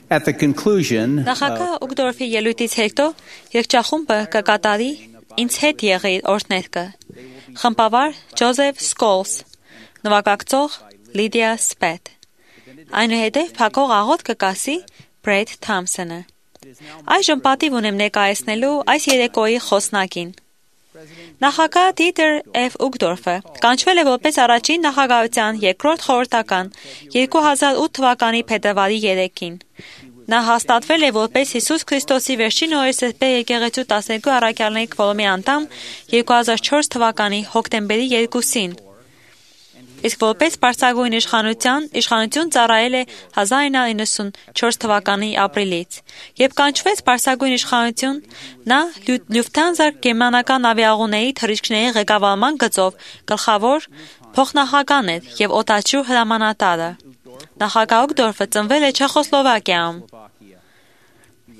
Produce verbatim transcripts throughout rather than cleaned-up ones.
At the conclusion, Նախագահ Ուգդորֆի ելույթից հետո երգչախումբը կկատարի «Ինձ հետ եղիր» օրհներգը։ Խմբավար Ջոզեֆ Սկոլս, նվագակցող Լիդիա Սպետ։ Այնուհետև փակող աղոթք կկասի Բրեդ Թամսոնը։ Այժմ պատիվ ունեմ ներկայացնելու այս երեկոյի խոսնակին։ Նախագահ Դիտեր Էֆ Ուգդորֆը կանչվել է որպես առաջին նախագահության երկրորդ խորհրդական երկու հազար ութ թվականի փետրվարի երեքին։ Նա հաստատվել է որպես Հիսուս Քրիստոսի վերջին օրերի սրբե եկեղեցու տասներկու առաքյալների քվորոմի անդամ երկու հազար չորս թվականի հոկտեմբերի երկուսին, իսկ որպես բարձրագույն իշխանության իշխանություն ծառայել է հազար ինը հարյուր իննսունչորս թվականի ապրիլից, երբ կանչվեց բարձրագույն իշխանություն, նա Լյուֆթանզա գերմանական ավիաուղիների թռիչքների ղեկավարման գծով գլխավոր փոխնախագահն էր և օդաչու հրամանատարը։ Նախագահ Ուգդորֆը ծնվել է Չեխոսլովակիայում։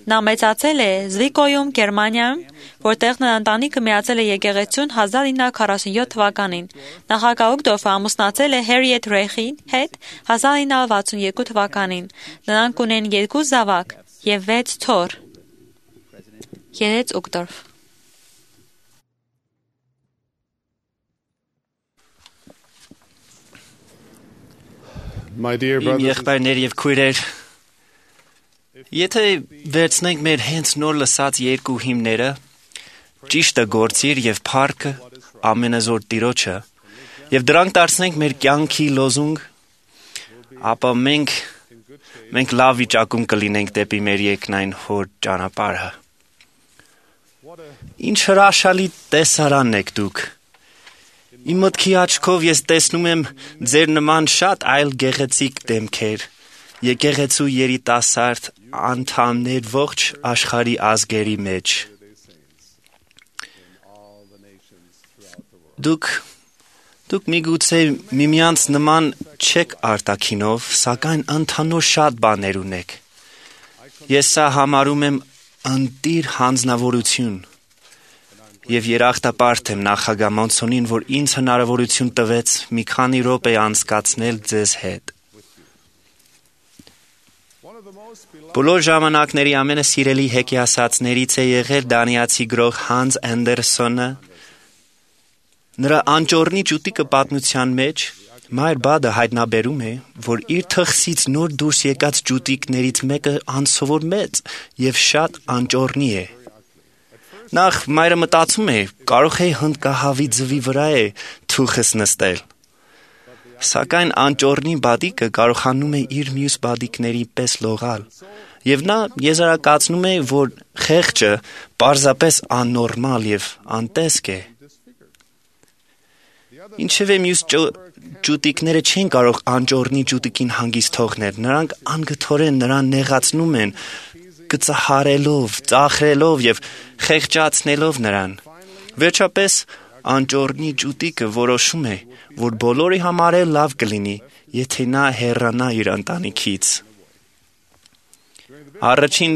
Նա մեծացել է Զվիկոյում, Գերմանիայում, որտեղ նրա ընտանիքը միացել է եկեղեցուն հազար ինը հարյուր քառասունյոթ թվականին։ Նախագահ Ուգդորֆը ամուսնացել է Հերիեթ Ռեյխի հետ հազար ինը հարյուր վաթսուն երկու թվականին։ Նրանք ունեն երկու զավակ և վեց թոռ։ Երեց Ուգդորֆ։ Իմ եղբայրներ և քույրեր, եթե վերցնենք մեր հենց նոր լսած երկու հիմները, ճիշտը գործիր և փառքը ամենազոր Տիրոջը, և դրանք դարձնենք մեր կյանքի լոզունգ, ապա մենք, մենք լավ վիճակում կլինենք դեպի մեր երկնային Հոր ճանապարհը։ Ինչ հրաշալի տեսարան եք դուք։ Իմ մտքի աչքով ես տեսնում եմ ձեր նման շատ այլ գեղեցիկ դեմքեր, եկեղեցու երիտասարդ անդամներ ողջ աշխարհի ազգերի մեջ։ Դուք, դուք միգուցե միմյանց նման չեք արտաքինով, սակայն ընդհանուր շատ բաներ ունեք։ Ես սա համարում եմ ընտիր հանձնավորություն։ Եվ երախտապարտ եմ նախագահ Մոնսոնին, որ ինձ հնարավորություն տվեց մի քանի րոպե անցկացնել ձեզ հետ։ Բոլոր ժամանակների ամենասիրելի հեքիասացներից է եղել դանիացի գրող Հանս Անդերսոնը։ Նրա անճոռնի ճուտիկը պատմության մեջ Մայր Բադը հայտնաբերում է, որ իր թխսից նոր դուրս եկած ճուտիկներից մեկը անսովոր մեծ և շատ անճոռնի է։ Նախ մայրը մտածում է, կարող է հնդկահավի ձվի վրա է թուխս նստել։ Սակայն անճոռնի բադիկը կարողանում է իր մյուս բադիկների պես լողալ, և նա եզրակացնում է, որ խեղճը պարզապես աննորմալ և անտեսք է։ Ինչևէ մյուս ճուտիկները չեն կարող անճոռնի ճուտիկին հանգիստ թողնել, նրանք անգթորեն նրան նեղացնում են, գծահարելով, ծաղրելով և խեղճացնելով նրան։ Վերջապես անճոռնի ճուտիկը որոշում է, որ բոլորի համար էլ լավ կլինի, եթե նա հեռանա իր ընտանիքից։ Առաջին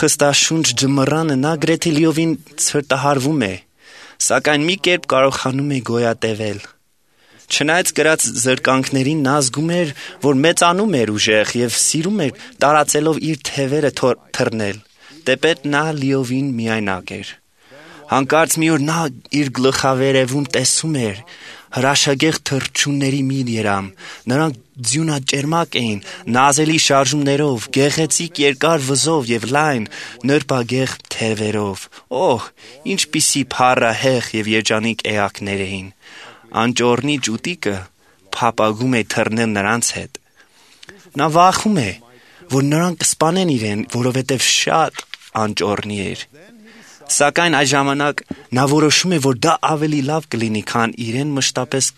խստաշունչ ջմռանը նա գրեթե լիովին ցրտահարվում է, սակայն մի կերպ կարողանում է գոյատևել։ Չնայած կրած զրկանքներին նա զգում էր, որ մեծանում էր ուժեղ և սիրում էր տարածելով իր թևերը թռնել, թեպետ նա լիովին միայնակ էր։ Հանկարծ մի օր նա իր գլխավերևում տեսում էր հրաշագեղ թռչունների մի երամ։ Նրանք ձյունաճերմակ էին, նազելի շարժումներով, գեղեցիկ երկար վզով և լայն, նրբագեղ թևերով։ Օհ, ինչպիսի փառահեղ և երջանիկ էակներ էին։ Անճոռնի ճուտիկը փափագում է թռնել նրանց հետ։ Նա վախում է, որ նրանք կսպանեն իրեն, որովհետև շատ անճոռնի էր։ Սակայն այս ժամանակ նա որոշում է, որ դա ավելի լավ կլինի, քան իրեն մշտապես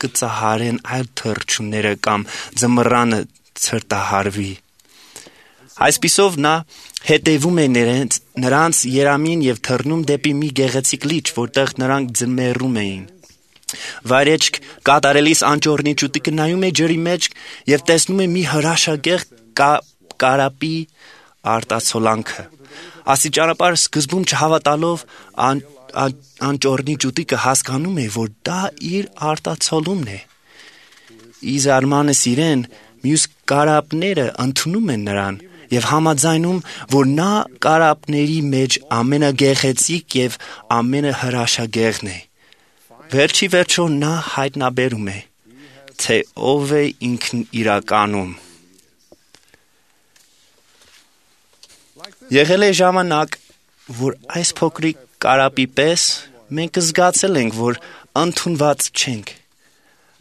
կծահարեն այլ թռչունները կամ ձմռանը ցրտահարվի։ Այսպիսով նա հետևում է նրանց, նրանց երամին և թռնում դեպի մի գեղեցիկ լիճ, որտեղ նրանք ձմեռում էին։ Վայրեջք կատարելիս անճոռնի ճուտիկը նայում է ջրի մեջ և տեսնում է մի հրաշագեղ կարապի արտացոլանքը։ Աստիճանաբար սկզբում չհավատալով ան, ան, անճոռնի ճուտիկը հասկանում է, որ դա իր արտացոլումն է։ Ի զարմանս իրեն Մյուս կարապները ընդունում են նրան եւ համաձայնում, որ նա կարապների մեջ ամենագեղեցիկ եւ ամենահրաշագեղն է։ Վերջի վերջո նա հայտնաբերում է, թե ով է ինքն իրականում։ Եղել է ժամանակ, որ այս փոքրիկ կարապի պես մենք զգացել ենք, որ ընդունված չենք։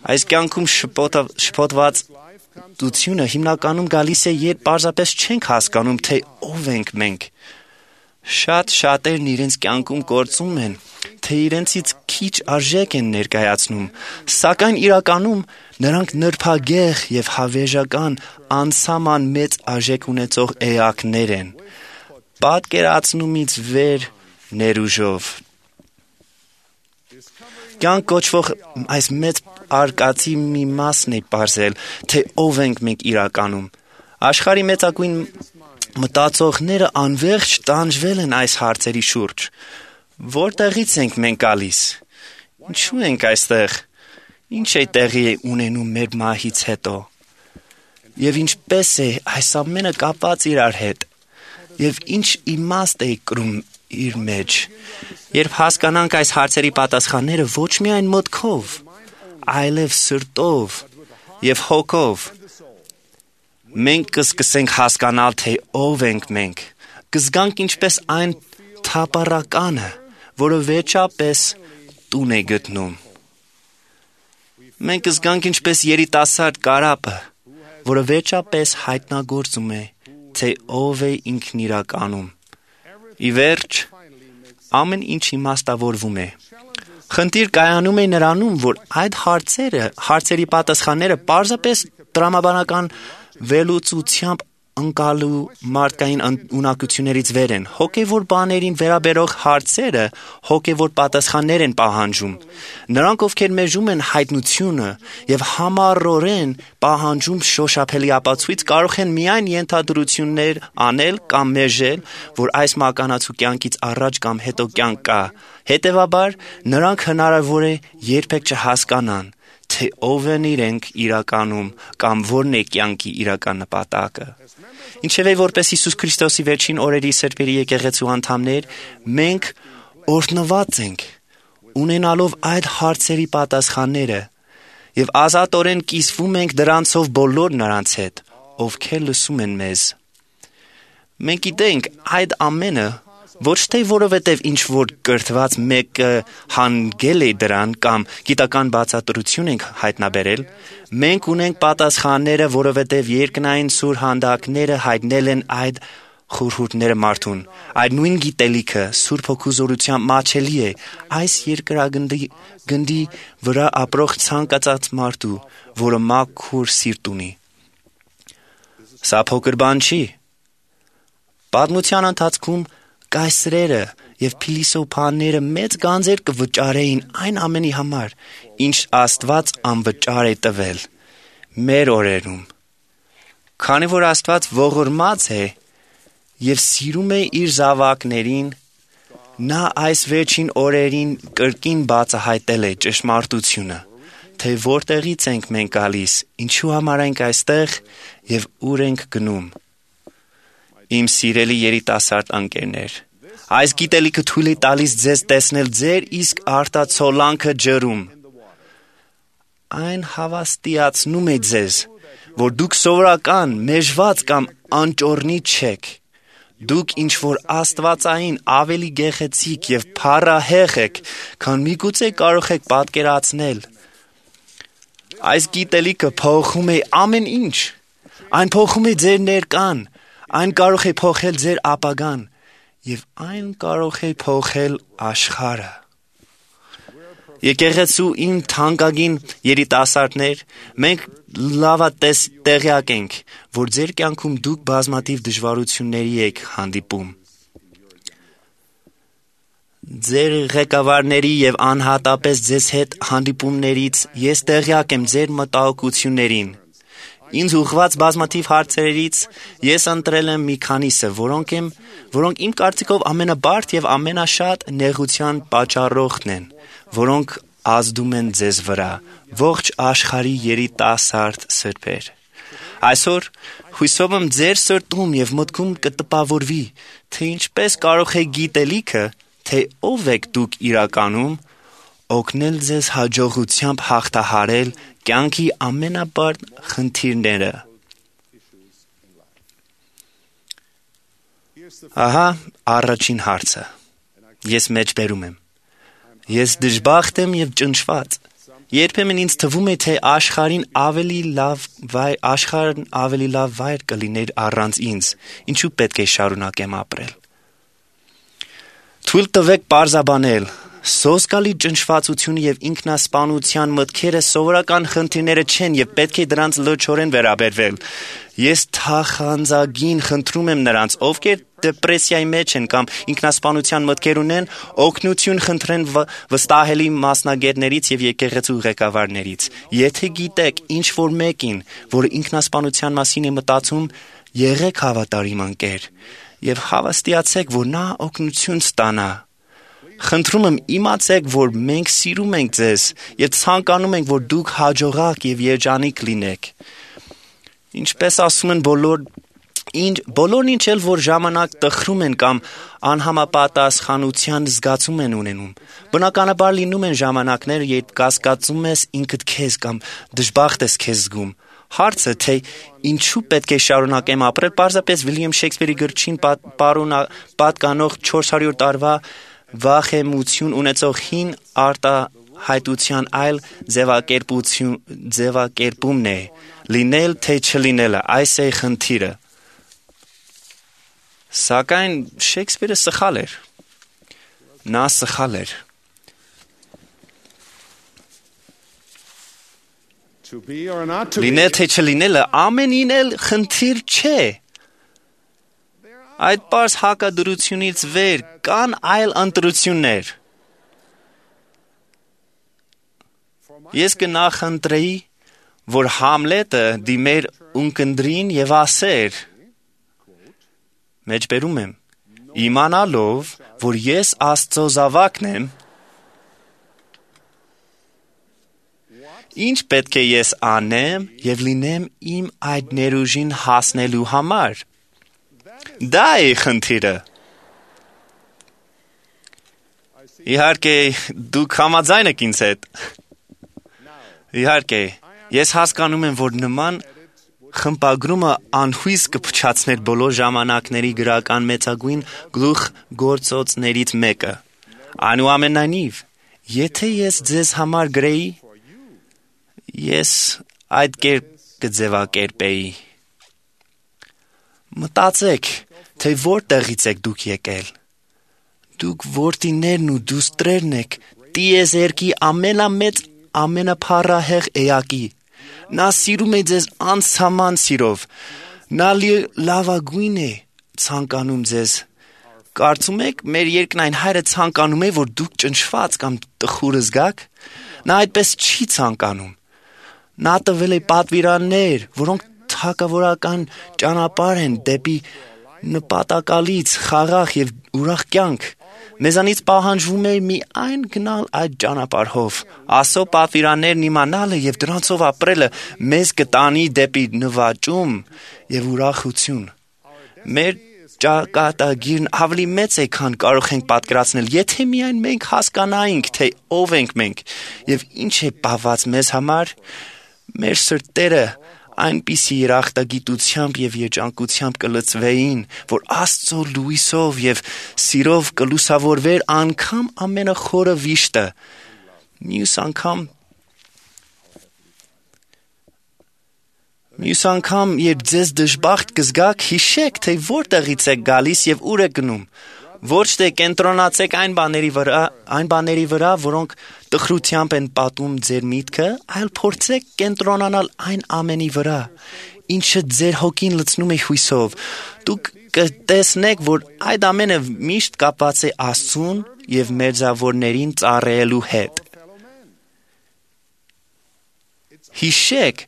Այս կյանքում շփոթ- շփոթված դությունը հիմնականում գալիս է, երբ պարզապես չենք հասկանում, թե ով ենք մենք։ Շատ շատերն իրենց կյանքում գործում են, թե իրենցից քիչ արժեք են ներկայացնում, սակայն իրականում նրանք նրբագեղ եւ հավերժական անսահման մեծ արժեք ունեցող էակներ են, պատկերացնումից վեր ներուժով։ Կյանք կոչվող այս մեծ արկածի մի մասն է պարզել, թե ով ենք մենք իրականում։ Աշխարհի մեծագույն մտածողները անվերջ տանջվել են այս հարցերի շուրջ։ Որտեղից ենք մենք գալիս։ Ինչու ենք այստեղ։ Ինչ է տեղի ունենում մեր մահից հետո։ Եվ ինչպես է այս ամենը կապված իրար հետ։ Եվ ինչ իմաստ է կրում իր մեջ։ Երբ հասկանանք այս հարցերի պատասխանները ոչ միայն մտքով, այլև սրտով եւ հոգով, մենք կսկսենք հասկանալ, թե ով ենք մենք, կզգանք ինչպես այն թափառականը, որը վերջապես տուն է գտնում։ Մենք կզգանք ինչպես երիտասարդ կարապը, որը վերջապես հայտնագործում է, թե ով է ինքն իրականում։ Ի վերջ, ամեն ինչ իմաստավորվում է։ Խնդիր կայանում է նրանում, որ այդ հարցերը, հարցերի պատասխանները պարզապես տրամաբանական վերլուծությամբ ընկալու մարդկային ունակություններից վեր են։ Հոգևոր բաներին վերաբերող հարցերը հոգևոր պատասխաններ են պահանջում։ Նրանք, ովքեր մեժում են հայտնությունը եւ համառորեն պահանջում շոշափելի ապացույց, կարող են միայն ենթադրություններ անել կամ մեժել, որ այս մականացու կյանքից առաջ կամ հետո կյանք կա։ Հետևաբար, նրանք հնարավոր է երբեք չհասկանան, թե ով են իրենք իրականում կամ որն է կյանքի իրական նպատակը։ Ինչևէ, որպես Հիսուս Քրիստոսի վերջին օրերի սրբերի եկեղեցու անդամներ, մենք օրհնված ենք, ունենալով այդ հարցերի պատասխանները, եւ ազատորեն կիսվում ենք դրանցով բոլոր նրանց հետ, ովքեր լսում են մեզ։ Մենք գիտենք այդ ամենը ոչ թե որովհետև ինչ-որ կրթված մեկը հանգել է դրան կամ գիտական բացատրություն ենք հայտնաբերել, մենք ունենք պատասխանները, որովհետև երկնային սուր հանդակները հայտնել են այդ խորհուրդները մարդուն։ Այդ նույն գիտելիքը Սուրբ Հոգու զորությամբ մաչելի է այս երկրագնդի գնդի վրա ապրող ցանկացած մարդու, որը մաքուր սիրտ ունի։ Սա փոքր բան չի։ Պատմության ընթացքում կայսրերը եւ փիլիսոփաները մեծ գանձեր կվճարեին այն ամենի համար, ինչ Աստված անվճար է տվել մեր օրերում։ Քանի որ Աստված ողորմած է եւ սիրում է իր զավակներին, նա այս վերջին օրերին կրկին բացահայտել է ճշմարտությունը, թե որտեղից ենք մենք գալիս, ինչու համար ենք այստեղ եւ ուր ենք գնում։ Իմ սիրելի երիտասարդ ընկերներ, այս գիտելիքը թույլ է տալիս ձեզ տեսնել ձեր իսկ արտացոլանքը ջրում։ Այն հավաստիացնում է ձեզ, որ դուք սովորական, մեժված կամ անճոռնի չեք։ Դուք ինչ-որ աստվածային ավելի գեղեցիկ եւ փառահեղ եք, քան միգուցե կարող եք պատկերացնել։ Այս գիտելիքը փոխում է ամեն ինչ։ Այն փոխում է ձեր ներկան, այն կարող է փոխել ձեր ապագան եւ այն կարող է փոխել աշխարհը։ Եկեղեցու իմ թանկագին երիտասարդներ, մենք լավատես տեղյակ ենք, որ ձեր կյանքում դուք բազմաթիվ դժվարությունների եք հանդիպում։ Ձեր ղեկավարների եւ անհատապես ձեզ հետ հանդիպումներից ես տեղյակ եմ ձեր մտահոգություններին։ Ինձ ուղղված բազմաթիվ հարցերից ես ընտրել եմ մի քանիսը, որոնք եմ, որոնք իմ կարծիքով ամենաբարդ եւ ամենաշատ նեղության պատճառողն են, որոնք ազդում են ձեզ վրա, ողջ աշխարհի երիտասարդ սրբեր։ Այսօր հույսով եմ ձեր սրտում եւ մտքում կտպավորվի, թե ինչպես կարող է գիտելիքը, թե ով եք դուք իրականում, օգնել ձեզ հաջողությամբ հաղթահարել կյանքի ամենաբարդ խնդիրները։ Ահա առաջին հարցը։ Ես մեջբերում եմ։ Ես դժբախտ եմ եւ ճնշված։ Երբեմն ինձ թվում է, թե աշխարհին ավելի լավ վայր, աշխարհն ավելի լավ վայր կլիներ առանց ինձ։ Ինչու պետք է շարունակեմ ապրել։ Թույլ տվեք պարզաբանել։ Սոսկալի ճնշվածությունը եւ ինքնասպանության մտքերը սովորական խնդիրները չեն եւ պետք է դրանց լրջորեն վերաբերվել։ Ես թախանձագին խնդրում եմ նրանց, ովքեր դեպրեսիայի մեջ են կամ ինքնասպանության մտքեր ունեն, օգնություն խնդրեն վստահելի մասնագետներից եւ եկեղեցու ղեկավարներից։ Եթե գիտեք ինչ որ մեկին, որը ինքնասպանության մասին է մտածում, եղեք հավատարիմ ընկեր եւ հավաստիացեք, որ նա օգնություն ստանա։ Խնդրում եմ իմացեք, որ մենք սիրում ենք ձեզ եւ ցանկանում ենք, որ դուք հաջողակ եւ երջանիկ լինեք։ Ինչպես ասում են բոլոր ինչ բոլորն ինչ էլ որ ժամանակ տխրում են կամ անհամապատասխանության զգացում են ունենում։ Բնականաբար լինում են ժամանակներ, երբ կասկածում ես ինքդ քեզ կամ դժբախտ ես քեզ զգում։ Հարցը, թե ինչու պետք է շարունակեմ ապրել, պարզապես Վիլյամ Շեքսպիրի գրչին պատկանող չորս հարյուր տարվա վախեմություն ունեցող հին արտահայտության այլ ձևակերպություն ձևակերպումն է։ Լինել թե չլինելը, այս է խնդիրը։ Սակայն Շեքսպիրը սխալ էր։ Նա սխալ էր։ Լինել թե չլինելը ամենին էլ խնդիր չէ։ Այդ պարզ հակադրությունից վեր կան այլ ընտրություններ։ Ես կնախընտրեի, որ Համլետը դիմեր ունկնդրին եւ ասեր. Մեջբերում եմ, իմանալով, որ ես Աստծո զավակն եմ, ինչ պետք է ես անեմ եւ լինեմ իմ այդ ներուժին հասնելու համար։ Դա է խնդիրը։ Իհարկե, դուք համաձայն եք ինձ հետ։ Իհարկե, ես հասկանում եմ, որ նման խմբագրումը անհույս կփչացներ բոլոր ժամանակների գրական մեծագույն գլուխգործոցներից մեկը։ Այնուամենայնիվ, եթե ես ձեզ համար գրեի, ես այդ կերպ կձևակերպեի։ Մտածեք, թե որտեղից եք դուք եկել։ Դուք որդիներն ու դուստրերն եք տիեզերքի ամենամեծ, ամենափառահեղ էակի։ Նա սիրում է ձեզ անցաման սիրով։ Նա լավագույն է ցանկանում ձեզ։ Կարծում եք, մեր երկնային հայրը ցանկանում է, որ դուք ճնշված կամ տխուր զգաք։ Նա այդպես չի ցանկանում։ Նա տվել է պատվիրաններ, որոնք թագավորական ճանապարհ են դեպի նպատակալից խաղաղ եւ ուրախ կյանք։ Մեզանից պահանջվում է միայն գնալ այդ ճանապարհով։ Ասո պատվիրաններն իմանալը եւ դրանցով ապրելը մեզ կտանի դեպի նվաճում եւ ուրախություն։ Մեր ճակատագիրն ավելի մեծ է, քան կարող ենք պատկերացնել, եթե միայն մենք հասկանայինք, թե ով ենք մենք եւ ինչ է բաված մեզ համար, մեր սրտերը այնպիսի երախտագիտությամբ եւ երջանկությամբ կլցվեին, որ Աստծո լույսով եւ սիրով կլուսավորվեր անգամ ամենախորը վիշտը։ Մյուս անգամ Մյուս անգամ, երբ ձեզ դժբախտ կզգաք, հիշեք, թե որտեղից եք գալիս եւ ուր եք գնում։ Ոչ թե կենտրոնացեք այն բաների վրա, այն բաների վրա, որոնք տխրությամբ են պատում ձեր միտքը, այլ փորձեք կենտրոնանալ այն ամենի վրա, ինչը ձեր հոգին լցնում է հույսով։ Դուք կտեսնեք, որ այդ ամենը միշտ կապված է Աստծուն եւ մերձավորներին ծառայելու հետ։ Հիշեք,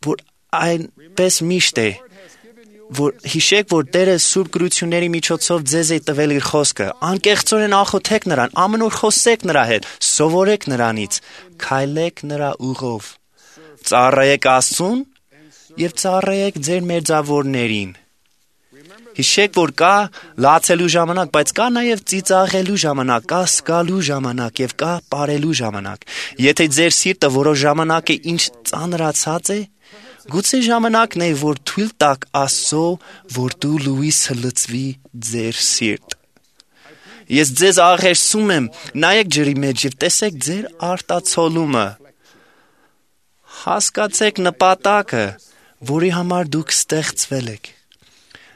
որ այնպես միշտ է, որ հիշեք, որ Տերը սուրբ գրությունների միջոցով ձեզ է տվել իր խոսքը, անկեղծորեն աղոթեք նրան, ամեն օր խոսեք նրա հետ, սովորեք նրանից, քայլեք նրա ուղով, ծառայեք Աստծուն եւ ծառայեք ձեր մերձավորներին։ Հիշեք, որ կա լացելու ժամանակ, բայց կա նաև ծիծաղելու ժամանակ, կա սկալու ժամանակ եւ կա ապարելու ժամանակ։ Եթե ձեր սիրտը որոշ ժամանակ է ինչ ծանրացած է, գուցե ժամանակն է, որ թույլ տաք Աստծո, որ դու լույսը լցվի ձեր սիրտ։ Ես ձեզ աղերսում եմ, նայեք ջրի մեջ եւ տեսեք ձեր արտացոլումը։ Հասկացեք նպատակը, որի համար դուք ստեղծվել եք։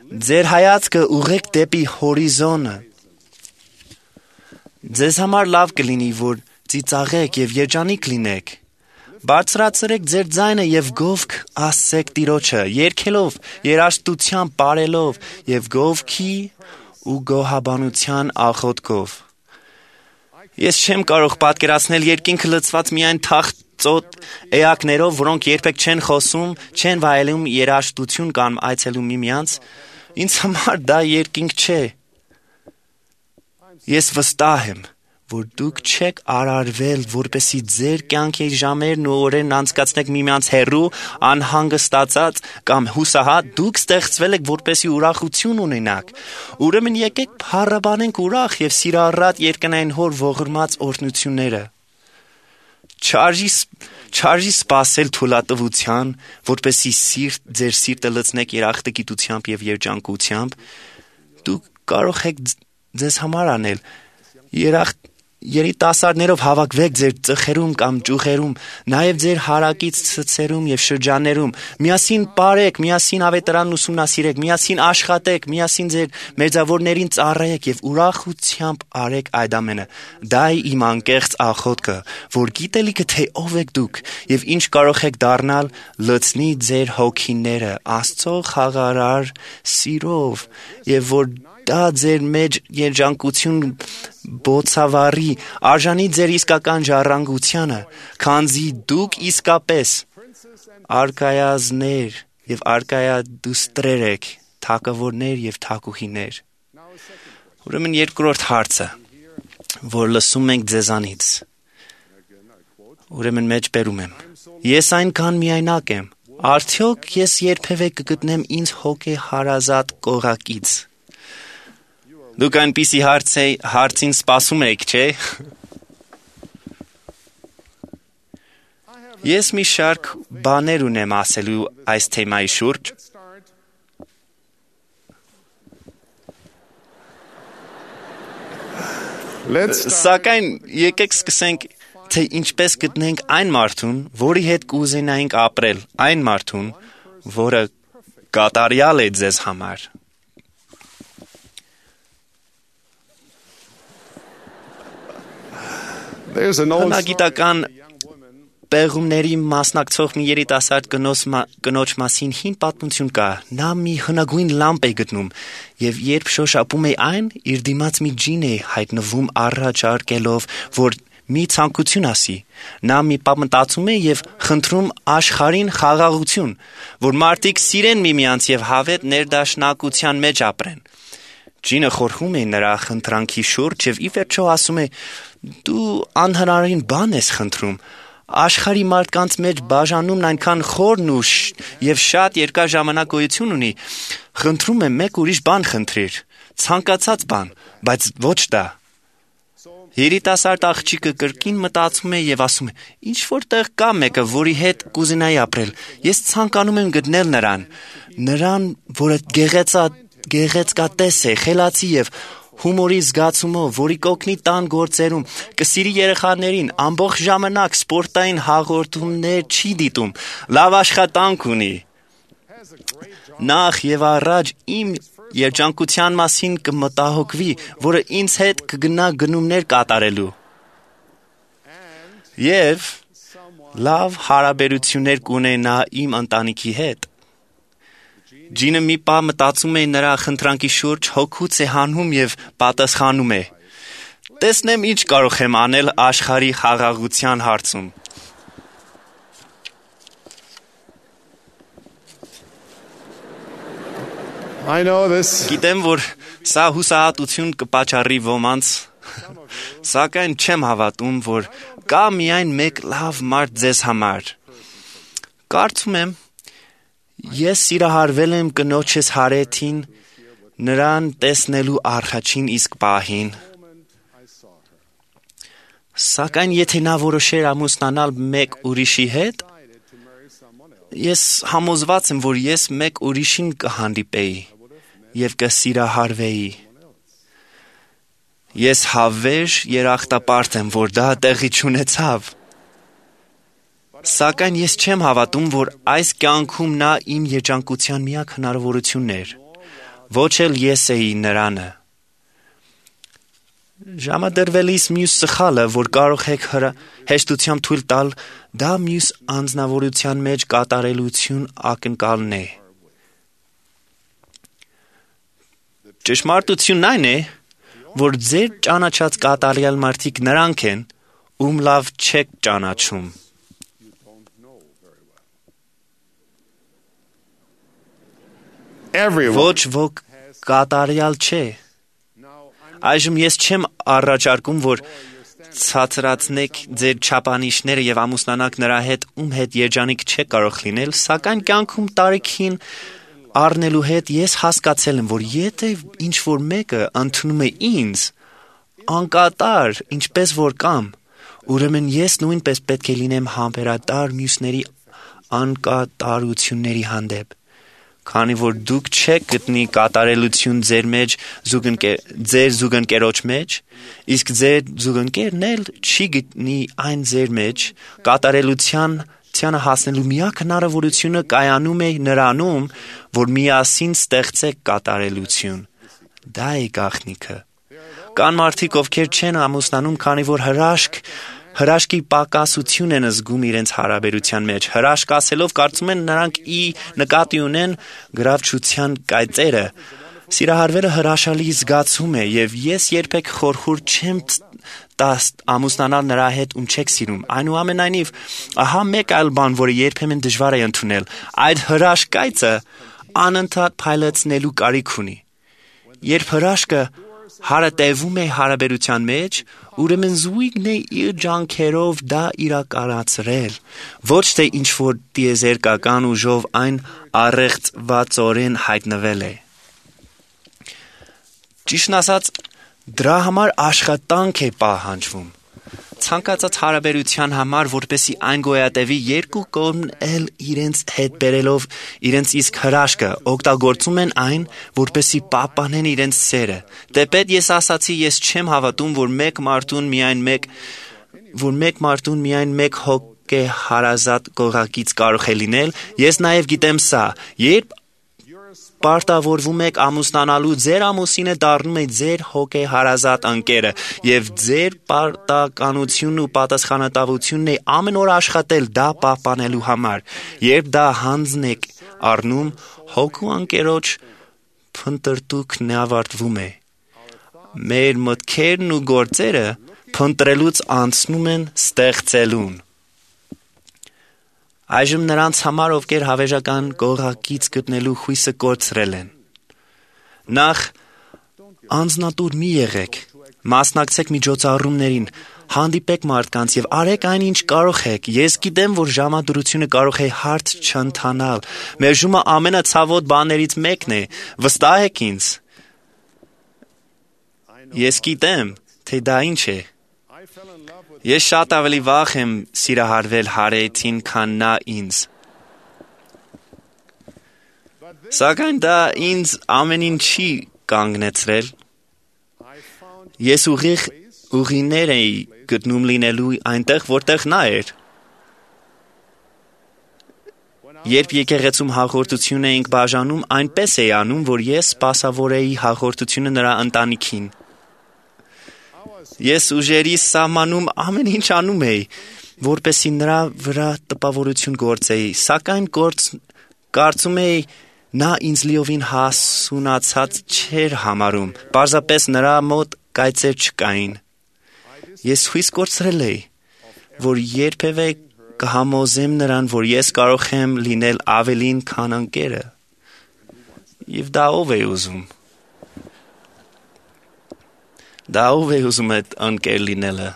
Ձեր հայացքը ուղղեք դեպի հորիզոնը։ Ձեզ համար լավ կլինի, որ ծիծաղեք եւ երջանիկ լինեք։ Բարձրացրեք ձեր ձայնը եւ գովք ասեք Տիրոջը, երգելով, երաժշտությամբ, բարելով եւ գովքի ու գոհաբանության աղոթքով։ Ես չեմ կարող պատկերացնել երկինքը լցված միայն թախծոտ էակներով, որոնք երբեք չեն խոսում, չեն վայելում երաժշտություն կամ այցելում միմյանց։ Ինձ համար դա երկինք չէ։ Ես վստահ եմ, որ դուք չեք արարվել, որպեսզի ձեր կյանքի ժամերն ու օրերն անցկացնեք միմյանց հեռու, անհանգստացած կամ հուսահատ, դուք ստեղծվել եք, որպեսզի ուրախություն ունենաք։ Ուրեմն եկեք փառաբանենք ուրախ եւ սիրառատ երկնային Հոր ողորմած օրհնությունները։ Չարժի Չարժի սպասել թուլատվության, որպեսզի սիրտ ձեր սիրտը լցնեք երախտագիտությամբ եւ երջանկությամբ, դուք կարող եք ձեզ համար անել երախտ երիտասարդներով հավաքվեք ձեր ծխերում կամ ճյուղերում, նաև ձեր հարակից ցցերում եւ շրջաններում, միասին ապարեք, միասին ավետարանն ուսումնասիրեք, միասին աշխատեք, միասին ձեր մերձավորներին ծառայեք եւ ուրախությամբ արեք այդ ամենը։ Դա է իմ անկեղծ աղոթքը, որ գիտելիքը թե ով եք դուք եւ ինչ կարող եք դառնալ, լցնի ձեր հոգիները Աստծո խաղարար սիրով եւ որ դա ձեր մեջ երջանկություն բոցավարի, արժանի ձեր իսկական ժառանգությանը, քանզի դուք իսկապես արկայազներ եւ արկայադուստրեր եք, թակավորներ եւ թակուհիներ։ Ուրեմն երկրորդ հարցը, որ լսում ենք ձեզանից։ Ուրեմն մեջ բերում եմ. Ես այնքան միայնակ եմ, արդյոք ես երբևէ կգտնեմ ինձ հոգեհարազատ կողակից։ Դուք այնպիսի հարցին սպասում եք, չէ՞։ Ես մի շարք բաներ ունեմ ասելու այս թեմայի շուրջ։ Սակայն եկեք սկսենք, թե ինչպես գտնենք այն մարդուն, որի հետ կուզենայինք ապրել, այն մարդուն, որը կատարյալ է ձեզ համար։ Հնագիտական պեղումների մասնակցող մի երիտասարդ կնոջ մասին հին պատմություն կա։ Նա մի հնագույն լամպ է գտնում եւ երբ շոշափում է այն, իր դիմաց մի ջին է հայտնվում առաջարկելով, որ մի ցանկություն ասի։ Նա մի պահ մտածում է եւ խնդրում աշխարհին խաղաղություն, որ մարդիկ սիրեն միմյանց եւ հավետ ներդաշնակության մեջ ապրեն։ Ջինը խորհում է նրա խնդրանքի շուրջ եւ ի վերջո ասում է. «Դու անհնարին բան ես խնդրում։ Աշխարհի մարդկանց մեջ բաժանումն այնքան խորն ու եւ շատ երկար ժամանակ գոյություն ունի։ Խնդրում եմ մեկ ուրիշ բան խնդրիր, ցանկացած բան, բայց ոչ դա»։ Երիտասարդ աղջիկը կրկին մտածում է եւ ասում է. «Ինչ որտեղ կա մեկը, որի հետ կուզենայի ապրել։ Ես ցանկանում եմ գտնել նրան, նրան, որը գեղեցա գեղեցկատես է, խելացի եւ հումորի զգացումով, որի կօգնի տան գործերում, կսիրի երեխաներին, ամբողջ ժամանակ սպորտային հաղորդումներ չի դիտում, լավ աշխատանք ունի։ Նախ եւ առաջ իմ երջանկության մասին կմտահոգվի, որը ինձ հետ կգնա գնումներ կատարելու։ Եվ լավ հարաբերություններ կունենա իմ ընտանիքի հետ։ Ջինը մի պահ մտածում է նրա խնդրանքի շուրջ, հոգուց է հանում եւ պատասխանում է. «Տեսնեմ ինչ կարող եմ անել աշխարհի խաղաղության հարցում»։ Գիտեմ, որ սա հուսահատություն կպատճառի ոմանց, սակայն չեմ հավատում, որ կա միայն մեկ լավ մարդ ձեզ համար։ Կարծում եմ, Ես սիրահարվել եմ կնոջս Հարեթին, նրան տեսնելու առաջին իսկ պահին։ Սակայն եթե նա որոշեր ամուսնանալ մեկ ուրիշի հետ, ես համոզված եմ, որ ես մեկ ուրիշին կհանդիպեի և կսիրահարվեի։ Ես հավերժ երախտապարտ եմ, որ դա տեղի չունեցավ։ Սակայն ես չեմ հավատում, որ այս կյանքում նա իմ երջանկության միակ հնարավորությունն էր, ոչ էլ ես էի նրանը։ Ժամադրվելիս մյուս սխալը, որ կարող եք հեշտությամբ թույլ տալ, դա մյուս անձնավորության մեջ կատարելություն ակնկալն է։ Ճշմարտությունն այն է, որ ձեր ճանաչած կատարյալ մարդիկ նրանք են, ում լավ չեք ճանաչում։ Ոչ ոք կատարյալ չէ։ Այժմ ես չեմ առաջարկում, որ ցածրացնեք ձեր չափանիշները և ամուսնանաք նրա հետ, ում հետ երջանիկ չեք կարող լինել, սակայն կյանքում տարիքին առնելու հետ ես հասկացել եմ, որ եթե ինչ-որ մեկը ընդունում է ինձ, անկատար, ինչպես որ կամ, ուրեմն ես նույնպես պետք է լինեմ համբերատար մյուսների անկատարությունների հանդեպ, քանի որ դուք չեք գտնի կատարելություն ձեր մեջ ձեր զուգընկերոջ մեջ, իսկ ձեր զուգընկերն էլ չի գտնի այն ձեր մեջ, կատարելության ցանը հասնելու միակ հնարավորությունը կայանում է նրանում, որ միասին ստեղծեք կատարելություն։ Դա է գաղտնիքը։ Կան մարդիկ, ովքեր չեն ամուսնանում, քանի որ հրաշք Հրաշքի պակասություն են զգում իրենց հարաբերության մեջ։ Հրաշք ասելով կարծում են նրանք ի նկատի ունեն գրավչության կայծերը։ Սիրահարվելը հրաշալի զգացում է, և ես երբեք խորհուրդ չեմ տա ամուսնանալ նրա հետ, ում չեք սիրում։ Այնուամենայնիվ, ահա մեկ այլ բան, որը երբեմն դժվար է ընդունել, այդ հրաշք կայծը անընդհատ փայլեցնելու կարիք ունի։ Երբ հրաշքը հարատևում է հարաբերության մեջ, ուրեմն զույգն է իր ջանքերով դա իրականացրել, ոչ թե ինչ-որ տիեզերքական ուժով այն առեղծվածորեն հայտնվել է։ Ճիշտն ասած, դրա համար աշխատանք է պահանջվում։ Ցանկացած հարաբերության համար, որպեսզի այն գոյատևի, երկու կողմն էլ իրենց հետ բերելով իրենց իսկ հրաշքը, օգտագործում են այն, որպեսզի պահպանեն իրենց սերը։ Դեպետ ես ասացի, ես չեմ հավատում, որ մեկ մարդուն միայն մեկ որ մեկ մարդուն միայն մեկ հոգեհարազատ կողակից կարող է լինել, ես նաև գիտեմ սա. երբ պարտավորվում եք ամուսնանալու, ձեր ամուսինը դառնում է ձեր հոգեհարազատ ընկերը, և ձեր պարտականությունն ու պատասխանատվությունն է ամեն օր աշխատել դա պահպանելու համար։ Երբ դա հանձն եք առնում, հոգու ընկերոջ փնտրտուքն ավարտվում է։ Մեր մտքերն ու գործերը փնտրելուց անցնում են ստեղծելուն։ Այժմ նրանց համար, ովքեր հավերժական կողակից գտնելու հույսը կորցրել են։ Նախ անձնատուր մի եղեք, մասնակցեք միջոցառումներին, հանդիպեք մարդկանց և արեք այն, ինչ կարող եք։ Ես գիտեմ, որ ժամադրությունը կարող է հարթ չընթանալ։ Մերժումը ամենացավոտ բաներից մեկն է։ Վստահեք ինձ։ Ես գիտեմ, թե դա ինչ է։ Ես շատ ավելի վախ եմ սիրահարվել Հարեթին, քան նա ինձ։ Սակայն դա ինձ ամեն ինչի կանգնեցրել։ Ես ուղիղ ուղիներ էի գտնում լինելու այնտեղ, որտեղ նա էր։ Երբ եկեղեցում հաղորդություն էինք բաժանում, այնպես էի անում, որ ես սպասավորեի հաղորդությունը նրա ընտանիքին։ Ես ուժերիս սահմանում ամեն ինչ անում էի, որպեսզի նրա վրա տպավորություն գործեի, սակայն գործ կարծում էի նա ինձ լիովին հասունացած չէր համարում, պարզապես նրա մոտ կայծեր չկային։ Ես հույս կորցրել էի, որ երբևէ կհամոզեմ նրան, որ ես կարող եմ լինել ավելին, քան ընկերը։ Եվ դա ով է ուզում։ Դա ով է ուզում այդ ընկեր լինելը։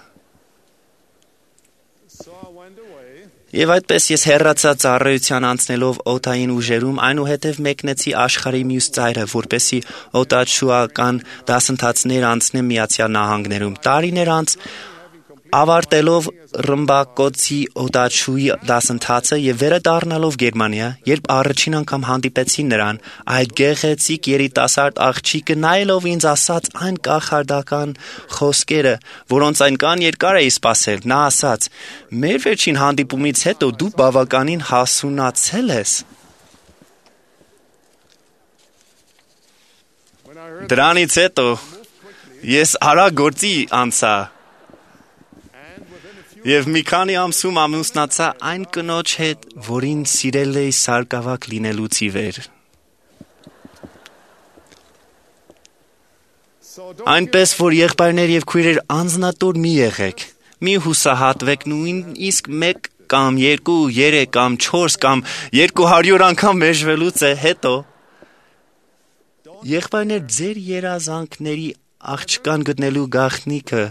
Եվ այդպես ես հեռացա ծառայության անցնելով օդային ուժերում, այնուհետև մեկնեցի աշխարհի մյուս ծայրը, որպեսզի օդաչուական դասընթացներ անցնեմ Միացյալ Նահանգներում։ Տարիներ անց ավարտելով ռմբակոծի օդաչուի դասընթացը եւ վերադառնալով Գերմանիա, երբ առաջին անգամ հանդիպեցի նրան, այդ գեղեցիկ երիտասարդ աղջիկը նայելով ինձ ասաց այն կախարդական խոսքերը, որոնց այնքան երկար էի սպասել, նա ասաց. «Մեր վերջին հանդիպումից հետո դու բավականին հասունացել ես»։ Դրանից հետո ես արագ գործի անցա Եվ մի քանի ամսում ամուսնացա այն կնոջ հետ, որին սիրել էի սարկավակ լինելուց ի վեր։ Այնպես որ եղբայրներ եւ քույրեր անձնատուր մի եղեք, մի հուսահատվեք նույնիսկ մեկ կամ երկու, երեք կամ չորս կամ երկու հարյուր անգամ մեժվելուց է հետո։ Եղբայրներ, ձեր երազանքների աղջկան գտնելու գաղտնիքը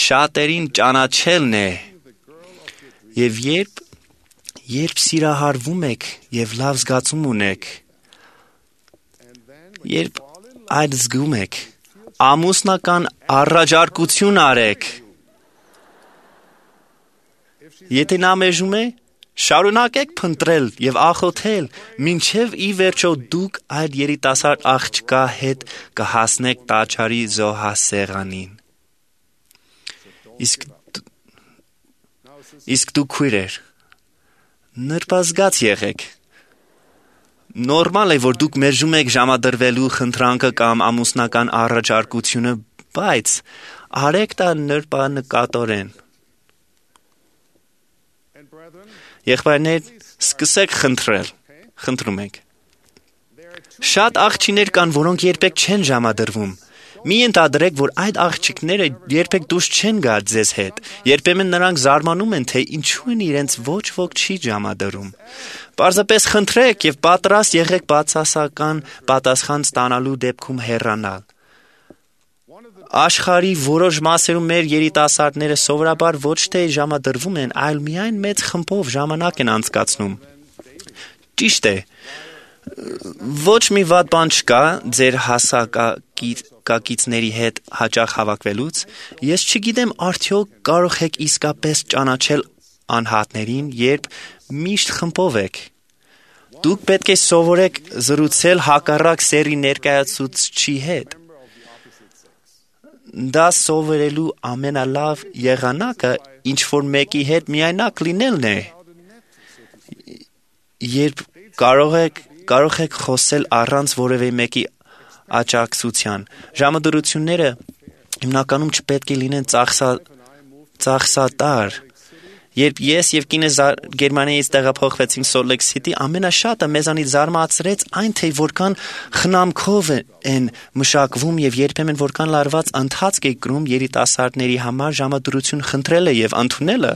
շատերին ճանաչելն է։ Եվ երբ, երբ սիրահարվում եք և լավ զգացում ունեք, երբ այդ զգում եք, ամուսնական առաջարկություն արեք։ Եթե նա մեժում է, շարունակեք փնտրել և աղոթել, մինչև ի վերջո դուք այդ երիտասարդ աղջկա հետ կհասնեք տաճարի զոհասեղանին։ Իսկ Իսկ դու քույրեր, նրբազգաց եղեք։ Նորմալ է, որ դուք մերժում եք ժամադրվելու խնդրանքը կամ ամուսնական առաջարկությունը, բայց արեք դա նրբանկատորեն։ Եղբայրներ, սկսեք խնդրել, խնդրում եք։ Շատ աղջիկներ կան, որոնք երբեք չեն ժամադրվում։ Մի ենթադրեք, որ այդ աղջիկները երբեք դուրս չեն գա ձեզ հետ։ Երբեմն նրանք զարմանում են, թե ինչու են իրենց ոչ ոք չի ժամադրում։ Պարզապես խնդրեք եւ պատրաստ եղեք բացասական պատասխան ստանալու դեպքում հեռանալ։ Աշխարհի որոշ մասերում մեր երիտասարդները սովորաբար ոչ թե ժամադրվում են, այլ միայն մեծ խմբով ժամանակ են անցկացնում։ Ճիշտ է։ Ոչ մի վատ բան չկա ձեր հասակակիցների հետ հաճախ հավաքվելուց, ես չգիտեմ արդյոք կարող եք իսկապես ճանաչել անհատներին, երբ միշտ խմբով եք։ Դուք պետք է սովորեք զրուցել հակառակ սեռի ներկայացուցչի հետ։ Դա սովորելու ամենալավ եղանակը ինչ-որ մեկի հետ միայնակ լինելն է։ Երբ կարող եք Կարող եք խոսել առանց որևէ մեկի աջակցության։ Ժամադրությունները հիմնականում չպետք է լինեն ծախսա, ծախսատար։ Երբ ես եւ կինս Գերմանիայից տեղափոխվեցինք Salt Lake City, ամենաշատը մեզանից զարմացրեց այն, թե որքան խնամքով են մշակվում եւ երբեմն որքան լարված ընթացք է կրում երիտասարդների համար ժամադրություն խնդրելը եւ ընդունելը։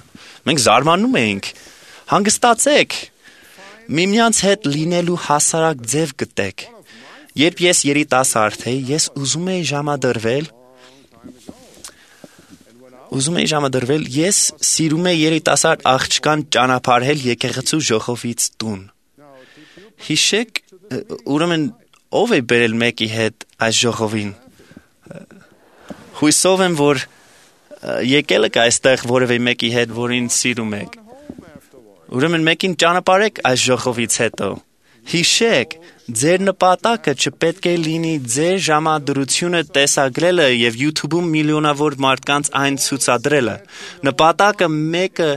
Մենք զարմանում էինք։ Հանգստացեք։ Միմյանց հետ լինելու հասարակ ձև գտեք։ Երբ ես երիտասարդ էի, ես ուզում էի ժամադրվել, ուզում էի ժամադրվել, ես սիրում էի երիտասարդ աղջկան ճանապարհել եկեղեցու ժողովից տուն։ Հիշեք, ուրեմն ով է բերել մեկի հետ այս ժողովին։ Հույսով եմ, որ եկել եք այստեղ որևէ մեկի հետ, որին սիրում եք։ Ուրեմն մեկին ճանապարհեք այս ժողովից հետո։ Հիշեք, ձեր նպատակը չպետք է լինի ձեր ժամադրությունը տեսագրելը եւ YouTube-ում միլիոնավոր մարդկանց այն ցուցադրելը։ Նպատակը մեկը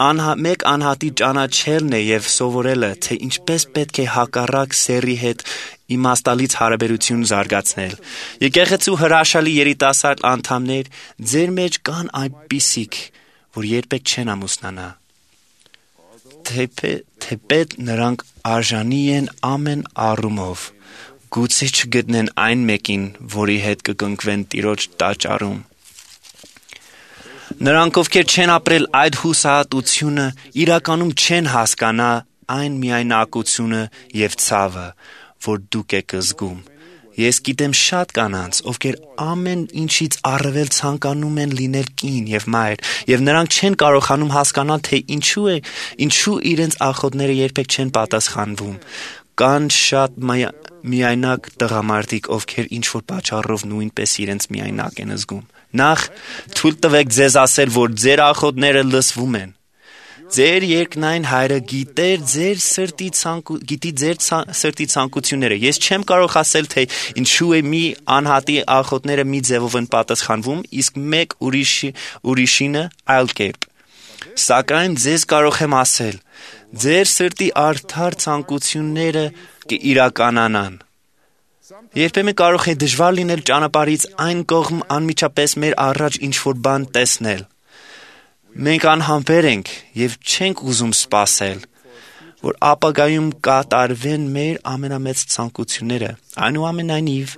անհա, մեկ անհատի ճանաչելն է եւ սովորելը, թե ինչպես պետք է հակառակ սեռի հետ իմաստալից հարաբերություն զարգացնել։ Եկեղեցու հրաշալի երիտասարդ անդամներ, ձեր մեջ կան այնպիսիք, որ երբեք չեն ամուսնանա։ Թեպետ նրանք արժանի են ամեն առումով, գուցե չգտնեն այն մեկին, որի հետ կկնքվեն Տիրոջ տաճարում։ Նրանք, ովքեր չեն ապրել այդ հուսահատությունը, իրականում չեն հասկանա այն միայնակությունը եւ ցավը, որ դուք եք զգում, Ես գիտեմ շատ կանանց, ովքեր ամեն ինչից առավել ցանկանում են լինել կին եւ մայր, եւ նրանք չեն կարողանում հասկանալ, թե ինչու է, ինչու իրենց աղոթները երբեք չեն պատասխանվում։ Կան շատ միայնակ տղամարդիկ, ովքեր ինչ-որ պատճառով նույնպես իրենց միայնակ են զգում։ Նախ թույլ տվեք ձեզ ասել, որ ձեր աղոթները լսվում են։ Ձեր երկնային Հայրը գիտեր ձեր սրտի ցանկու գիտի ձեր սրտի ցանկությունները։ Ես չեմ կարող ասել, թե ինչու է մի անհատի աղոթները մի ձևով են պատասխանվում, իսկ մեկ ուրիշի ուրիշինը այլ կերպ։ Սակայն ձեզ կարող եմ ասել, ձեր սրտի արդար ցանկությունները կիրականանան։ Երբեմն կարող է դժվար լինել ճանապարհից այն կողմ անմիջապես մեր առաջ ինչ-որ բան տեսնել։ Մենք անհամբեր ենք և չենք ուզում սպասել, որ ապագայում կատարվեն մեր ամենամեծ ցանկությունները։ Այնուամենայնիվ,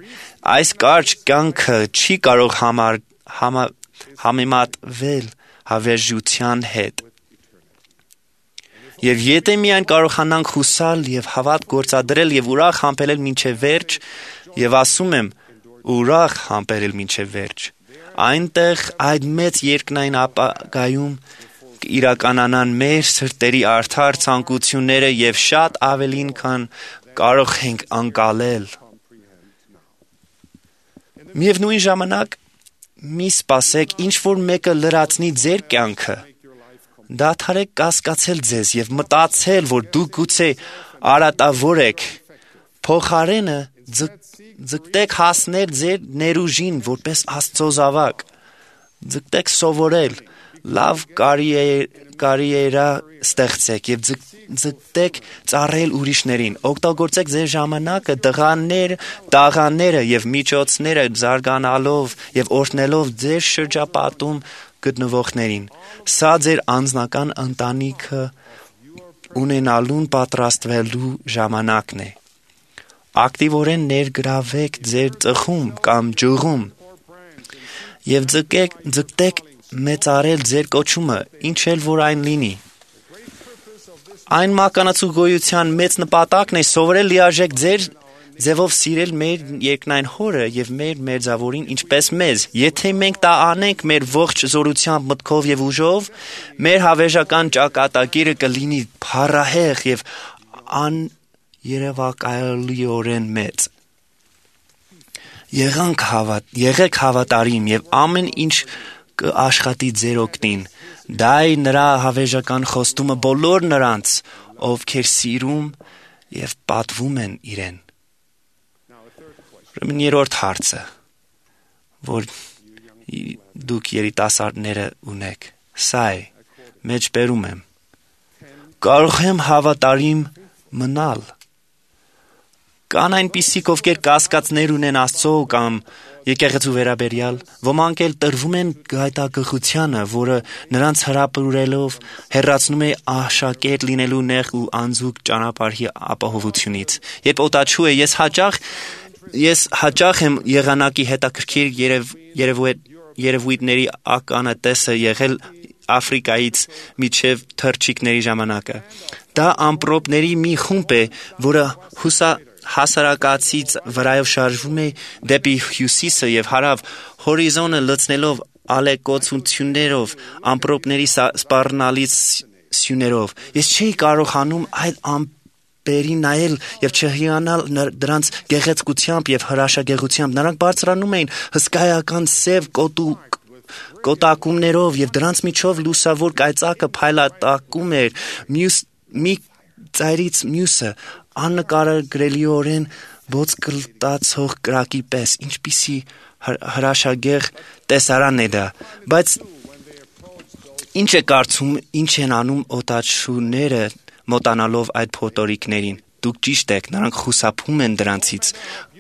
այս կարճ կյանքը չի կարող համար, համա, համեմատվել հավերժության հետ։ Եվ եթե միայն կարողանանք հուսալ և հավատ գործադրել և ուրախ համբերել մինչև վերջ, և ասում եմ, ուրախ համբերել մինչև վերջ, այնտեղ այդ մեծ երկնային ապագայում կիրականանան մեր սրտերի արդար ցանկությունները և շատ ավելին, քան կարող ենք ընկալել։ Միևնույն ժամանակ, մի սպասեք, ինչ-որ մեկը լրացնի ձեր կյանքը։ Դադարեք կասկածել ձեզ և մտածել, որ դուք գուցե արատավոր եք։ Փոխարենը ձգտեք հասնել ձեր ներուժին որպես Աստծո զավակ։ Ձգտեք սովորել, լավ կարիերա ստեղծեք և ձգտեք ծառայել ուրիշներին։ Օգտագործեք ձեր ժամանակը, տղաներ, տաղաները և միջոցները զարգանալով և օրհնելով ձեր շրջապատում գտնվողներին։ Սա ձեր անձնական ընտանիքը ունենալուն պատրաստվելու ժամանակն է։ Ակտիվորեն ներգրավեք ձեր ծխում կամ ջուղում և ձգեք, ձգտեք մեծարել ձեր կոչումը, ինչ էլ որ այն լինի։ Այն մականացու գոյության մեծ նպատակն է սովորել լիարժեք ձեր ձևով սիրել մեր երկնային Հորը և մեր Մերձավորին ինչպես մեզ։ Եթե մենք դա անենք մեր ողջ զորությամբ, մտքով և ուժով, մեր հավերժական ճակատագիրը կլինի փառահեղ և աներևակայալիորեն մեծ։ Եղանք հավատ, եղեք հավատարիմ և ամեն ինչ կաշխատի ձեր օգտին։ Դա է նրա հավերժական խոստումը բոլոր նրանց, ովքեր սիրում և պատվում են իրեն։ Ուրեմն երրորդ հարցը, որ դուք երիտասարդները ունեք, սա է, մեջբերում եմ։ Կարող եմ հավատարիմ մնալ։ Կան այնպիսիք, ովքեր կասկածներ ունեն Աստծո կամ եկեղեցու վերաբերյալ, ոմանք էլ տրվում են գայթակղությանը, որը նրանց հրապուրելով հեռացնում է աշակերտ լինելու նեղ ու անձուկ ճանապարհի ապահովությունից։ Երբ օտաչու է, ես հաճախ ես հաճախ եմ եղանակի հետաքրքիր երև, երևույթ, երևույթների ականատեսը եղել Աֆրիկայից միջև թռչիկների ժամանակը։ Դա ամպրոպների մի խումբ է, որը հուսա հասարակացից վրայով շարժվում է դեպի հյուսիսը և հարավ, հորիզոնը լցնելով ալեկոծություններով, ամպրոպների սպառնալից սյուներով։ Ես չէի կարողանում այդ ամպերի նայել և չհիանալ դրանց գեղեցկությամբ և հրաշագեղությամբ։ Նրանք բարձրանում էին հսկայական սև կոտուկ կոտակումներով և դրանց միջով լուսավոր կայծակը փայլատակում էր մյուս մի ծայրից մյուսը աննկարագրելիորեն ոսկլտացող կրակի պես, ինչպիսի հրաշագեղ տեսարան է դա, բայց ինչ է կարծում, ինչ են անում օտաչուները մոտանալով այդ փոթորիկներին։ Դուք ճիշտ եք, նրանք խուսափում են դրանցից։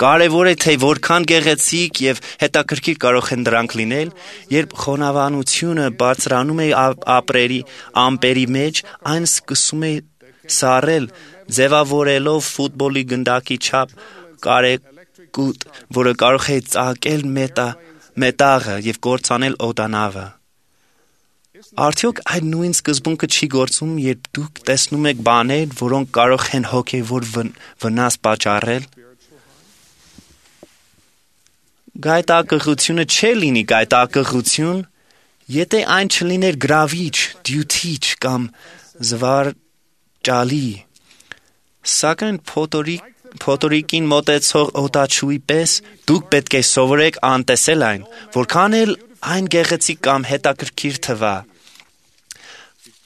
Կարևոր է, թե որքան գեղեցիկ և հետաքրքիր կարող են դրանք լինել, երբ խոնավանությունը բարձրանում է ապրերի ամպերի մեջ, այն սկսում է սառել, ձևավորելով ֆուտբոլի գնդակի չափ կարեկուտ, որը կարող է ծակել մետա, մետաղը և կործանել օդանավը։ Արդյոք այդ նույն սկզբունքը չի գործում, երբ դուք տեսնում եք բաներ, որոնք կարող են հոգևոր վնաս պատճառել։ Գայթակղությունը չէ լինի գայթակղություն, եթե այն չլիներ գրավիչ, դյութիչ կամ զվարճալի։ Սակայն փոթորիկ Փոթորիկին մոտեցող օտաչուի պես դուք պետք է սովորեք անտեսել այն, որքան էլ այն գեղեցիկ կամ հետաքրքիր թվա։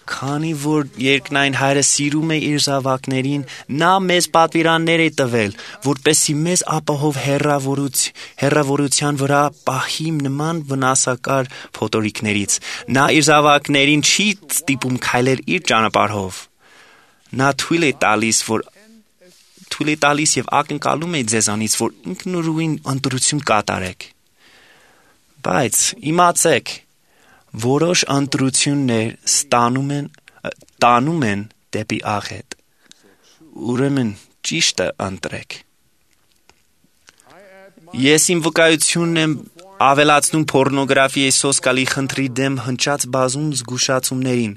Քանի որ երկնային Հայրը սիրում է իր զավակներին, նա մեզ պատվիրաններ է տվել, որպեսզի մեզ ապահով հեռավորության վրա պահի նման վնասակար փոթորիկներից։ Նա իր զավակներին չի ստիպում քայլել իր ճանապարհով։ Նա թույլ է տալիս, որ թույլ է տալիս եւ ակնկալում է ձեզանից, որ ինքնուրույն ընտրություն կատարեք։ Բայց իմացեք, որոշ ընտրություններ ստանում են տանում են դեպի աղետ։ Ուրեմն ճիշտը ընտրեք։ Ես իմ վկայությունն եմ ավելացնում պորնոգրաֆիայի սոսկալի խնդրի դեմ հնչած բազում զգուշացումներին։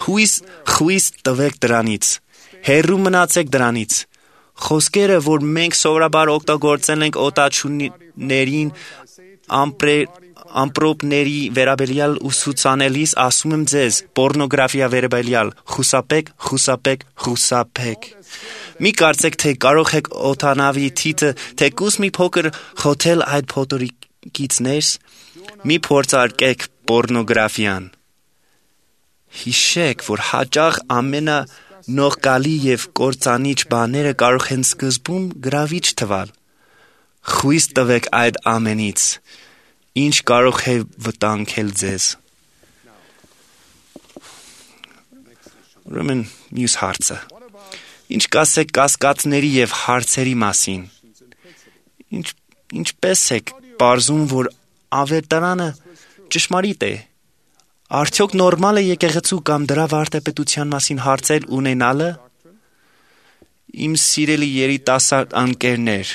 Հույս խույս տվեք դրանից։ Հեռու մնացեք դրանից։ Խոսքերը, որ մենք սովորաբար օգտագործել ենք օտաչուներին ամպրոպների վերաբերյալ ուսուցանելիս, ասում եմ ձեզ, պորնոգրաֆիա վերաբերյալ, խուսափեք, խուսափեք, խուսափեք։ Մի կարծեք, թե կարող եք օդանավի թիթը թեկուզ մի փոքր խոթել այդ փոթորիկից ներս, մի փորձարկեք պորնոգրաֆիան։ Հիշեք, որ հաճախ ամենա նողկալի և կործանիչ բաները կարող են սկզբում գրավիչ թվալ։ Խույս տվեք այդ ամենից, ինչ կարող է վտանգել ձեզ։ Ուրեմն մյուս հարցը։ Ինչ կասեք կասկածների և հարցերի մասին։ Ինչ, ինչպես եք պարզում, որ ավետարանը ճշմարիտ է։ Արդյոք նորմալ է եկեղեցու կամ դրա վարդապետության մասին հարցեր ունենալը։ Իմ սիրելի երիտասարդ ընկերներ,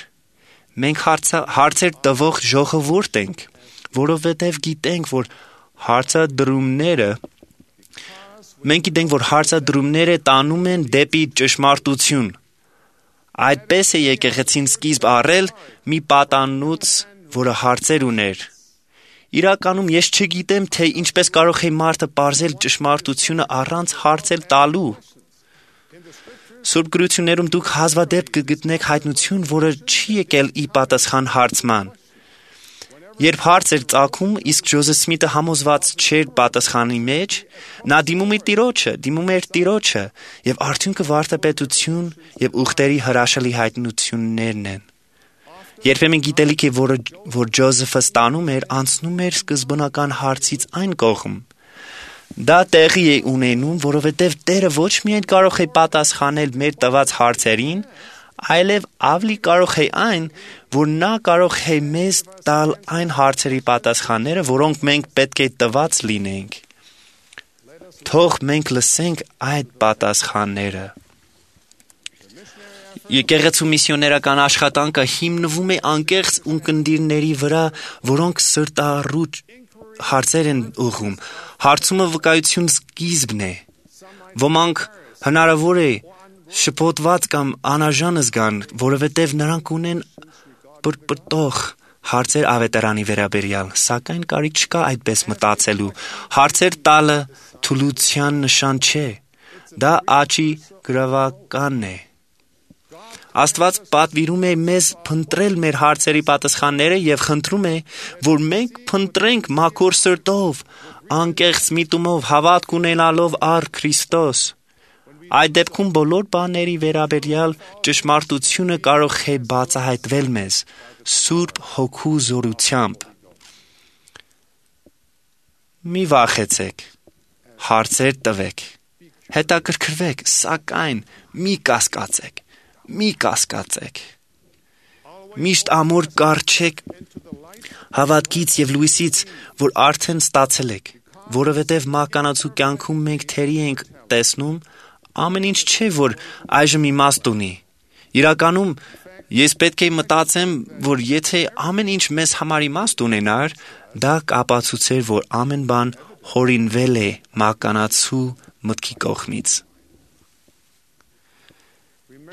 մենք հարցա, հարցեր տվող ժողովուրդ ենք, որովհետև գիտենք, որ հարցադրումները մենք գիտենք, որ հարցադրումները տանում են դեպի ճշմարտություն։ Այդպես է եկեղեցին սկիզբ առել մի պատանուց, որը հարցեր ուներ։ Իրականում ես չգիտեմ, թե ինչպես կարող է մարդը պարզել ճշմարտությունը առանց հարցեր տալու։ Սուրբ գրություններում դուք հազվադեպ կգտնեք հայտնություն, որը չի եկել ի պատասխան հարցման։ Երբ հարց էր ծագում, իսկ Ջոզեֆ Սմիթը համոզված չէր պատասխանի մեջ, նա դիմում էր Տիրոջը, դիմում էր Տիրոջը, եւ արդյունքը վարդապետություն եւ ուխտերի հրաշալի հայտնություններն են։ Երբեմն գիտելիքը, որը որ Ջոզեֆը ստանում էր, անցնում էր սկզբնական հարցից այն կողմ։ Դա տեղի է ունենում, որովհետև Տերը ոչ միայն կարող է պատասխանել մեր տված հարցերին, այլև ավելի կարող է այն, որ նա կարող է մեզ տալ այն հարցերի պատասխանները, որոնք մենք պետք է տված լինենք։ Թող մենք լսենք այդ պատասխանները։ Եկեղեցու միսիոներական աշխատանքը հիմնվում է անկեղծ ունկնդիրների վրա, որոնք սրտառուչ հարցեր են ուղղում։ Հարցումը վկայություն սկիզբն է։ Ոմանք հնարավոր է շփոթված կամ անարժան զգան, որովհետև նրանք ունեն պրպտող հարցեր ավետարանի վերաբերյալ, սակայն կարիք չկա այդպես մտածելու։ Հարցեր տալը թուլության նշան չէ, դա աճի գրավականն է։ Աստված պատվիրում է մեզ փնտրել մեր հարցերի պատասխանները եւ խնդրում է, որ մենք փնտրենք մաքուր սրտով, անկեղծ միտումով, հավատք ունենալով առ Քրիստոս։ Այդ դեպքում բոլոր բաների վերաբերյալ ճշմարտությունը կարող է բացահայտվել մեզ Սուրբ Հոգու զորությամբ։ Մի վախեցեք, հարցեր տվեք, հետաքրքրվեք, սակայն մի կասկածեք, մի կասկածեք։ Միշտ ամուր կառչեք հավատքից եւ լույսից, որ արդեն ստացել եք, որովհետեւ մահկանացու կյանքում մենք թերի ենք տեսնում, ամեն ինչ չէ, որ այժմ իմաստ ունի։ Իրականում ես պետք է մտածեմ, որ եթե ամեն ինչ մեզ համար իմաստ ունենար, դա կապացուցեր, որ ամեն բան հորինվել է մահկանացու մտքի կողմից։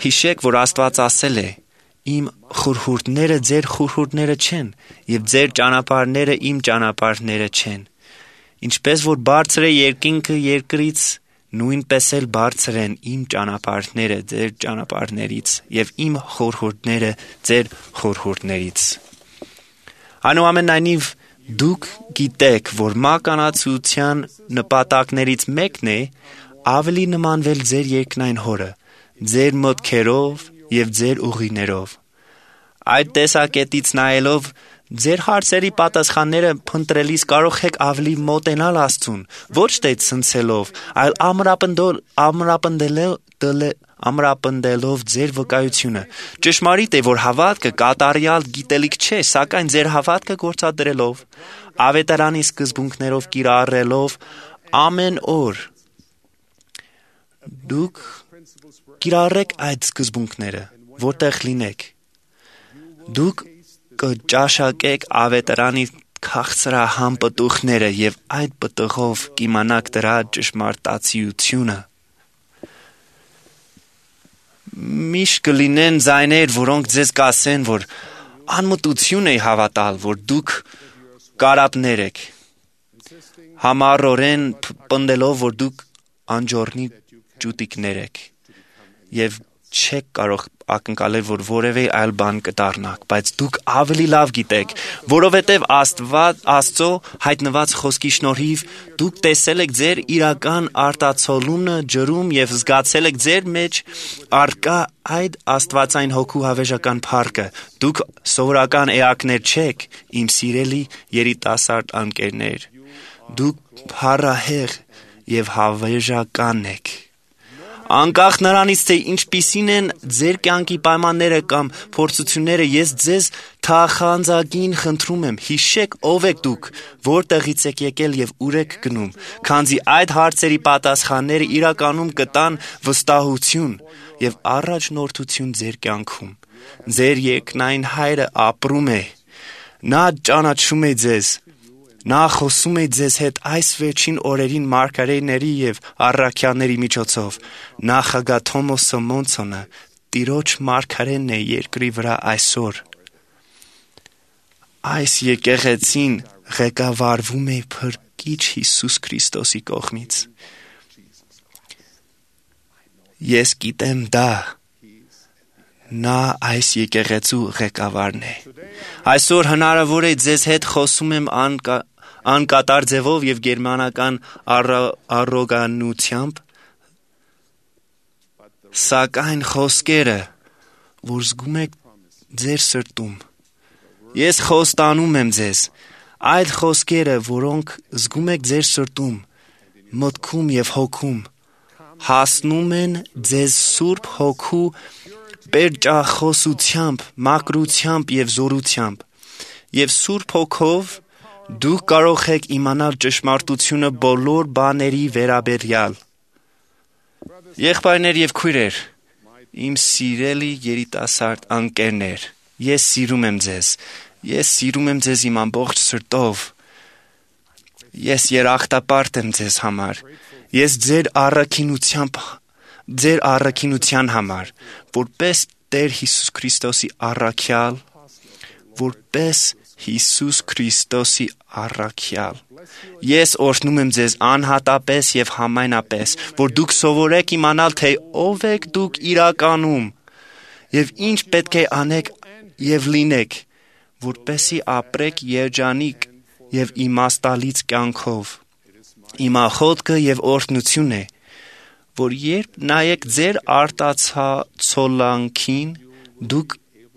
Հիշեք, որ Աստված ասել է. իմ խորհուրդները ձեր խորհուրդները չեն, եւ ձեր ճանապարհները իմ ճանապարհները չեն։ Ինչպես որ բարձր է երկինքը երկրից, նույնպես էլ բարձր են իմ ճանապարհները ձեր ճանապարհներից եւ իմ խորհուրդները ձեր խորհուրդներից։ Այնուամենայնիվ դուք գիտեք, որ մականացության նպատակներից մեկն է ավելի նմանվել ձեր երկնային հորը, ձեր մտքերով եւ ձեր ուղիներով։ Այդ տեսակետից նայելով ձեր հարցերի պատասխանները փնտրելիս կարող եք ավելի մոտենալ Աստծուն, ոչ թե ցնցելով, այլ ամրապնդելով ամրապնդելով ձեր վկայությունը։ Ճշմարիտ է, որ հավատքը կատարյալ գիտելիք չէ, սակայն ձեր հավատքը գործադրելով, ավետարանի սկզբունքներով կիրառելով ամեն օր դուք կիրառեք այդ սկզբունքները, որտեղ լինեք։ Դուք կճաշակեք ավետարանի քաղցրահամ պտուղները եւ այդ պտուղով կիմանաք դրա ճշմարտացիությունը։ Միշտ կլինեն ձայներ, որոնք ձեզ կասեն, որ անմտություն է հավատալ, որ դուք կարապներ եք, համառորեն պնդելով, որ դուք անջորնի ճուտիկներ եք եւ չեք կարող ակնկալել, որ որևէ այլ բան կդառնաք, բայց դուք ավելի լավ գիտեք, որովհետև Աստված Աստծո հայտնված խոսքի շնորհիվ դուք տեսել եք ձեր իրական արտացոլումը ջրում եւ զգացել եք ձեր մեջ արկա այդ Աստվածային հոգու հավերժական փառքը։ Դուք սովորական էակներ չեք, իմ սիրելի երիտասարդ անկերներ։ Դուք փառահեղ եւ հավերժական եք։ Անկախ նրանից, թե ինչպիսին են ձեր կյանքի պայմանները կամ փորձությունները, ես ձեզ թախանձագին խնդրում եմ, հիշեք ով եք դուք, որտեղից եք եկել եւ ուր եք գնում, քանզի այդ հարցերի պատասխանները իրականում կտան վստահություն եւ առաջնորդություն ձեր կյանքում։ Ձեր երկնային Հայրը ապրում է, նա ճանաչում է ձեզ, նա խոսում է ձեզ հետ այս վերջին օրերին մարգարեների եւ առաքյալների միջոցով։ Նախագահ Թոմաս Մոնսոնը Տիրոջ մարգարեն է երկրի վրա այսօր։ Այս եկեղեցին ղեկավարվում է Փրկիչ Հիսուս Քրիստոսի կողմից։ Ես գիտեմ դա։ Նա այս եկեղեցու ղեկավարն է։ Այսօր հնարավոր է ձեզ հետ խոսում եմ անկա անկատար ձևով եւ գերմանական առոգանությամբ, սակայն խոսքերը, որ զգում եք ձեր սրտում, ես խոստանում եմ ձեզ, այդ խոսքերը, որոնք զգում եք ձեր սրտում, մտքում եւ հոգում, հասնում են ձեզ Սուրբ Հոգու պերճախոսությամբ, մաքրությամբ եւ զորությամբ, եւ Սուրբ Հոգով դուք կարող եք իմանալ ճշմարտությունը բոլոր բաների վերաբերյալ։ Եղբայրներ եւ քույրեր, իմ սիրելի երիտասարդ անկերներ, ես սիրում եմ ձեզ, ես սիրում եմ ձեզ իմ ամբողջ սրտով։ Ես երախտապարտ եմ ձեզ համար, ես ձեր առաքինությամբ, ձեր առաքինության համար, որպես Տեր Հիսուս Քրիստոսի առաքյալ, որպես Հիսուս Քրիստոսի առաքյալ։ Ես օրհնում եմ ձեզ անհատապես եւ համայնապես, որ դուք սովորեք իմանալ, թե ով եք դուք իրականում եւ ինչ պետք է անեք եւ լինեք, որպեսզի ապրեք երջանիկ եւ իմաստալից կյանքով։ Իմ աղոթքը եւ օրհնություն է, որ երբ նայեք ձեր արտացոլանքին, դուք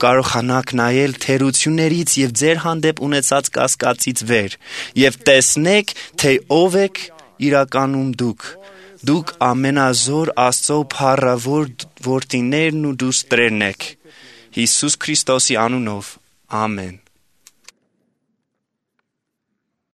կարողանաք նայել թերություններից եւ ձեր հանդեպ ունեցած կասկածից վեր եւ տեսնեք, թե ով եք իրականում դուք։ Դուք ամենազոր Աստծո փառավոր որդիներն ու դուստրերն եք։ Հիսուս Քրիստոսի անունով։ Ամեն։